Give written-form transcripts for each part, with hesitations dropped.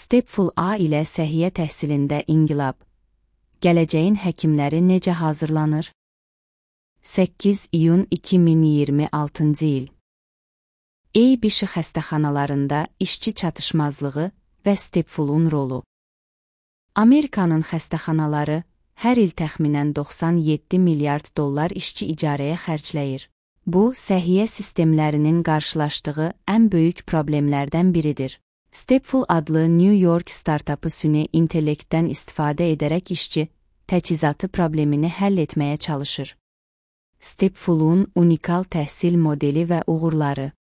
Stepful A ilə səhiyyə təhsilində inqilab. Gələcəyin həkimləri necə hazırlanır? 8 iyun 2026-cı il. ABC xəstəxanalarında işçi çatışmazlığı və Stepful'un rolu. Amerikanın xəstəxanaları hər il təxminən 97 milyard dollar işçi icarəyə xərcləyir. Bu, səhiyyə sistemlərinin qarşılaşdığı ən böyük problemlərdən biridir. Stepful adlı New York startapı süni intellektdən istifadə edərək işçi təchizatı problemini həll etməyə çalışır. Stepful'un unikal təhsil modeli və uğurları.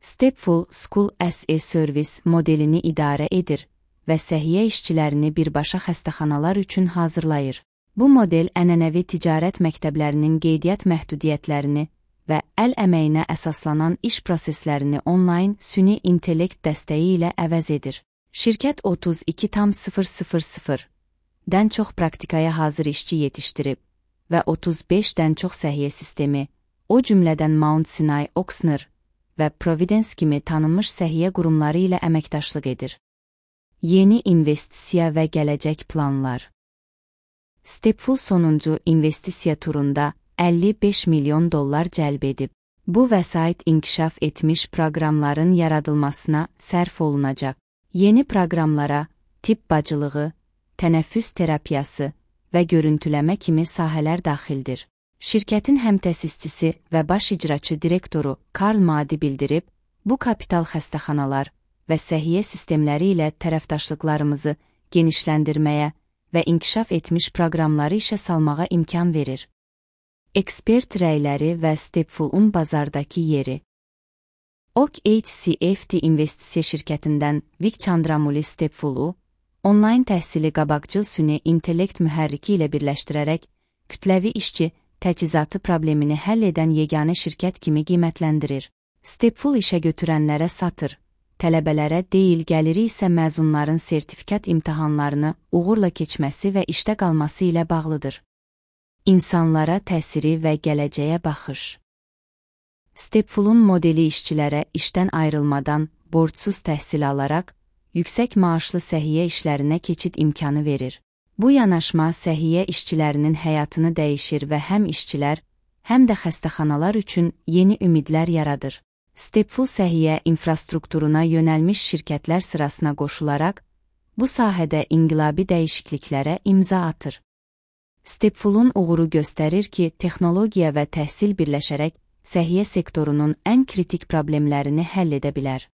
Stepful School as a Service modelini idarə edir və səhiyyə işçilərini birbaşa xəstəxanalar üçün hazırlayır. Bu model ənənəvi ticarət məktəblərinin qeydiyyat məhdudiyyətlərini və əl əməyinə əsaslanan iş proseslərini onlayn süni intellekt dəstəyi ilə əvəz edir. Şirkət 32,000-dən çox praktikaya hazır işçi yetişdirib və 35-dən çox səhiyyə sistemi, o cümlədən Mount Sinai, Ochsner və Providence kimi tanınmış səhiyyə qurumları ilə əməkdaşlıq edir. Yeni investisiya və gələcək planlar. Stepful sonuncu investisiya turunda 55 milyon dollar cəlb edib. Bu vəsait inkişaf etmiş proqramların yaradılmasına sərf olunacaq. Yeni proqramlara tibb bacılığı, tənəffüs terapiyası və görüntüləmə kimi sahələr daxildir. Şirkətin həmtəsisçisi və baş icraçı direktoru Karl Madi bildirib, bu kapital xəstəxanalar və səhiyyə sistemləri ilə tərəfdaşlıqlarımızı genişləndirməyə və inkişaf etmiş proqramları işə salmağa imkan verir. Ekspert rəyləri və Stepful'un bazardakı yeri. OKHCFT investisiya şirkətindən Vic Chandramuli Stepful'u, onlayn təhsili qabaqcıl süni intellekt mühərriki ilə birləşdirərək, kütləvi işçi təchizatı problemini həll edən yeganə şirkət kimi qiymətləndirir. Stepful işə götürənlərə satır, tələbələrə deyil, gəliri isə məzunların sertifikat imtahanlarını uğurla keçməsi və işdə qalması ilə bağlıdır. İnsanlara təsiri və gələcəyə baxış. Stepful'un modeli işçilərə işdən ayrılmadan, borcsuz təhsil alaraq, yüksək maaşlı səhiyyə işlərinə keçid imkanı verir. Bu yanaşma səhiyyə işçilərinin həyatını dəyişir və həm işçilər, həm də xəstəxanalar üçün yeni ümidlər yaradır. Stepful səhiyyə infrastrukturuna yönəlmiş şirkətlər sırasına qoşularaq, bu sahədə inqilabi dəyişikliklərə imza atır. Stepful'un uğuru göstərir ki, texnologiya və təhsil birləşərək səhiyyə sektorunun ən kritik problemlərini həll edə bilər.